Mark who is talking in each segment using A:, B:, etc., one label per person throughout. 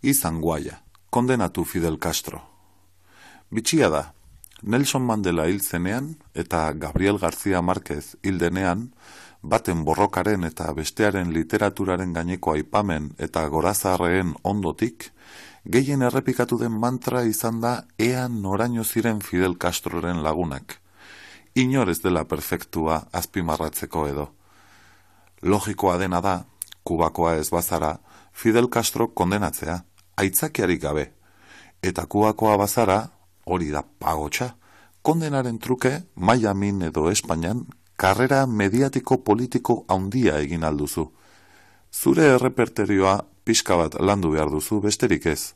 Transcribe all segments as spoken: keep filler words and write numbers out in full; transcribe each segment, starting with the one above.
A: Izan guaia, kondenatu Fidel Castro. Bitxia da, Nelson Mandela hil zenean eta Gabriel García Márquez hil denean, baten borrokaren eta bestearen literaturaren gaineko aipamen eta gorazarreen ondotik, gehien errepikatu den mantra izan da ea noraino ziren Fidel Castroren lagunak. Inor ez dela perfektua azpimarratzeko edo. Logikoa dena da, Kubakoa ez bazara, Fidel Castro kondenatzea, aitzakiarik gabe. Eta Kubakoa bazara, hori da pagotxa, kondenaren truke, Miamin edo Espainian, karrera mediatiko politiko handia egin alduzu. Zure erreperterioa pixka bat landu behar duzu besterik ez.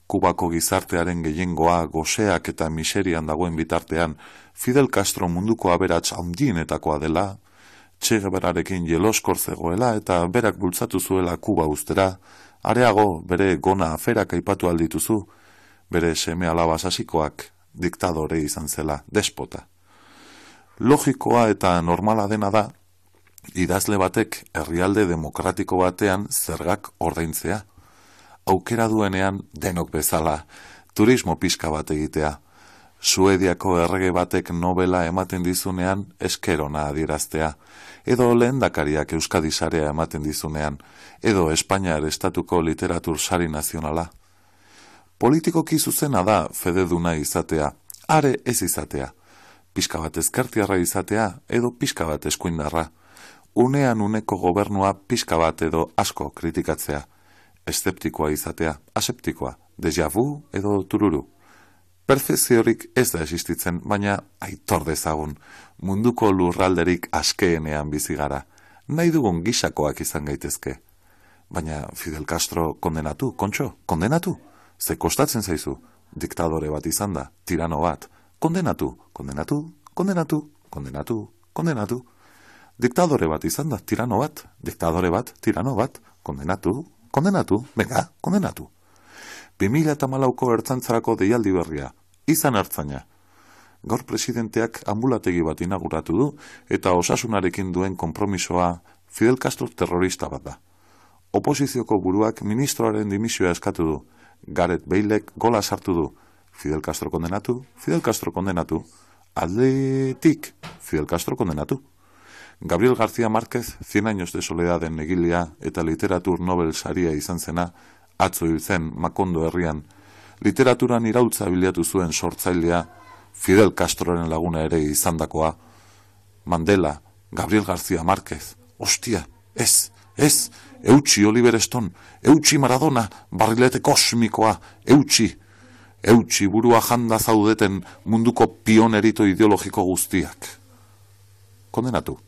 A: Kubako gizartearen gehiengoa goseak eta miserian dagoen bitartean, Fidel Castro munduko aberats handienetakoa dela, Che Guevararekin jeloskor zegoela eta berak bultzatu zuela Kuba ustera, areago bere gona aferak aipatu aldituzu, bere seme alaba sasikoak diktadore izan zela, despota. Logikoa eta normala dena da, idazle batek herrialde demokratiko batean zergak ordaintzea. Aukera duenean denok bezala, turismo pixka bat egitea. Suediako errege batek nobela ematen dizunean eskerona adieraztea, edo lehendakariak Euskadi sarea ematen dizunean, edo Espainiar estatuko literatur sari nazionala. Politikoki zuzena da fededuna izatea, are ez izatea, pixka bat ezkertiarra izatea, edo pixka bat eskuindarra, unean uneko gobernua pixka bat edo asko kritikatzea, eszeptikoa izatea, aseptikoa, déjà vu edo tururu. Perfeziorik ez da existitzen, baina aitor dezagun, munduko lurralderik askeenean bizi gara, nahi dugun gisakoak izan gaitezke. Baina Fidel Castro kondenatu, kontxo, kondenatu, ze kostatzen zaizu, diktadore bat izan da, tirano bat, kondenatu, kondenatu, kondenatu, kondenatu, kondenatu. Diktadore bat izan da, tirano bat, diktadore bat, tirano bat, kondenatu, kondenatu, venga, kondenatu. bi mila hamalauko ertzaintzarako deialdi berria, izan ertzaina. Gaur presidenteak anbulategi bat inauguratu du eta osasunarekin duen konpromisoa Fidel Castro terrorista bat da. Oposizioko buruak ministroaren dimisioa eskatu du, Gareth Balek gola sartu du, Fidel Castro kondenatu, Fidel Castro kondenatu, Atletik, Fidel Castro kondenatu. Gabriel García Márquez, Cien años de soledaden egilea eta literatur Nobel saria izan zena, atzo hil zen Makondo herrian, literaturan iraultza bilatu zuen sortzailea, Fidel Castroren laguna ere izandakoa. Mandela, Gabriel García Márquez, ostia, ez, ez, eutxi Oliver Stone, eutxi Maradona, barrilete kosmikoa, eutxi, eutxi burua janda zaudeten munduko pionerito ideologiko guztiak. Kondenatu.